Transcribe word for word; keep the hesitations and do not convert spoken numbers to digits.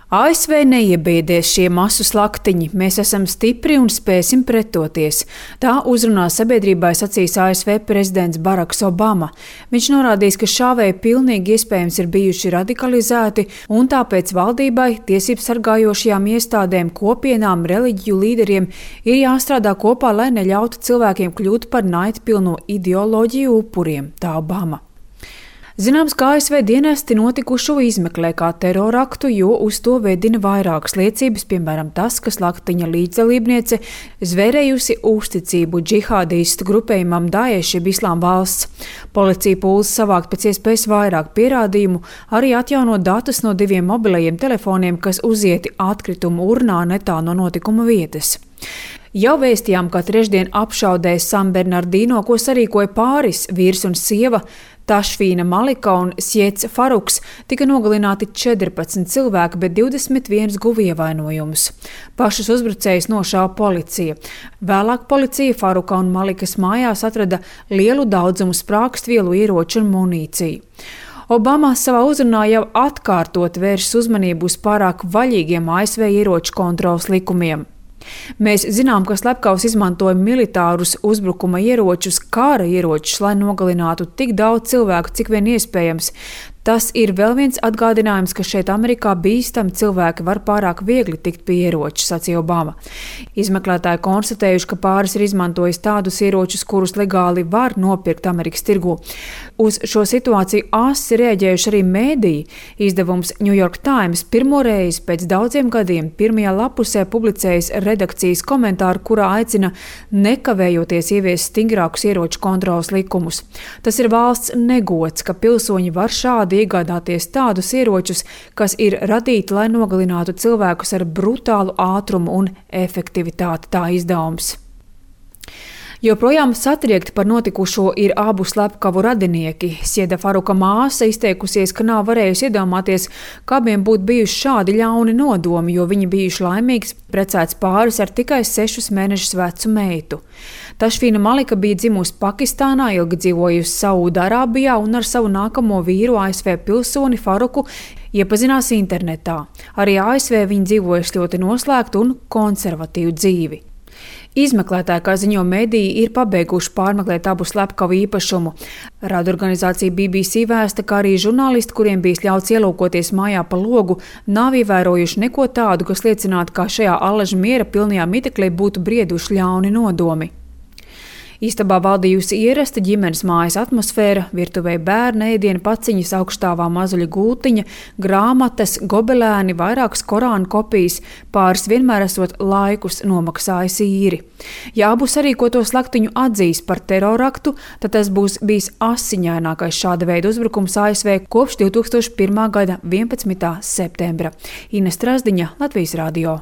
A S V neiebiedēs šie masu slaktiņi, mēs esam stipri un spēsim pretoties. Tā uzrunā sabiedrībai sacīs A S V prezidents Baraks Obama. Viņš norādīs, ka šāvēji pilnīgi iespējams ir bijuši radikalizēti un tāpēc valdībai, tiesību sargājošajām iestādēm, kopienām, reliģiju līderiem ir jāstrādā kopā, lai neļautu cilvēkiem kļūt par naidpilno ideoloģiju upuriem, tā Obama. Zināms, ka A S V dienesti notikušo izmeklē kā teroraktu, jo uz to vedina vairākas liecības, piemēram tas, ka slaktiņa līdzdalībniece zvērējusi uzticību džihādistu grupējumam Daesh jeb Islāma valsts. Policija pūlas savākt pēc iespējas vairāk pierādījumu, arī atjaunot datus no diviem mobilajiem telefoniem, kas uzieti atkritumu urnā netālu no notikuma vietas. Jau vēstījām, ka trešdien apšaudēs San Bernardino, ko sarīkoja pāris vīrs un sieva, Tašfīna Malika un Sjets Faruks, tika nogalināti četrpadsmit cilvēki, bet divdesmit viens guva ievainojumus. Pašus uzbrucējus nošāva policija. Vēlāk policija Faruka un Malikas mājās atrada lielu daudzumu sprākstvielu, ieroču un munīciju. Obama savā uzrunā jau atkārtot vēršas uzmanību uz pārāk vaļīgiem A S V ieroču kontroles likumiem. Mēs zinām, ka slepkavs izmantoja militārus uzbrukuma ieročus, kara ieročus, lai nogalinātu tik daudz cilvēku, cik vien iespējams. Tas ir vēl viens atgādinājums, ka šeit Amerikā bīstami cilvēki var pārāk viegli tikt pie ieroču, sacīja Obama. Izmeklētāji konstatējuši, ka pāris ir izmantojis tādus ieročus, kurus legāli var nopirkt Amerikas tirgū. Uz šo situāciju asi reaģējuši arī mēdīji. Izdevums New York Times pirmo reizi pēc daudziem gadiem pirmajā lapusē publicējis redakcijas komentāru, kurā aicina nekavējoties ieviest stingrākus ieroču kontroles likumus. Tas ir valsts negods, ka pilsoņi var šādi iegādāties tādus ieročus, kas ir radīti, lai nogalinātu cilvēkus ar brutālu ātrumu un efektivitāti, tā izdevums. Joprojām satriekti par notikušo ir abu slepkavu radinieki. Sjeda Faruka māsa izteikusies, ka nav varējusi iedomāties, ka abiem būtu bijuši šādi ļauni nodomi, jo viņi bijuši laimīgs precēts pāris ar tikai sešus mēnešus vecu meitu. Tašfīna Malika bija dzimusi Pakistānā, ilgi dzīvojusi Saūdarābijā un ar savu nākamo vīru A S V pilsoni Faruku iepazinās internetā. Arī A S V viņa dzīvojuši ļoti noslēgtu un konservatīvu dzīvi. Izmeklētāji, kā ziņo mediji, ir pabeiguši pārmeklēt abu slepkavu īpašumu. Radorganizācija B B C vēsta, ka arī žurnālisti, kuriem bija ļauts ielūkoties mājā pa logu, nav ievērojuši neko tādu, kas liecinātu, ka šajā allaža miera pilnajā miteklī būtu brieduši ļauni nodomi. Istabā valdījusi ierasta ģimenes mājas atmosfēra, virtuvē bērna ēdienu paciņas, augstāvā mazuļa gultiņa, grāmatas, gobelēni, vairākas Korāna kopijas, pāris vienmēr esot laikus nomaksājis īri. Ja abu sarīkoto slaktiņu atzīs par teroraktu, tad tas būs bijis asiņainākais šāda veida uzbrukums A S V kopš divtūkstoš pirmā gada vienpadsmitā septembra. Ines Strazdiņa, Latvijas radio.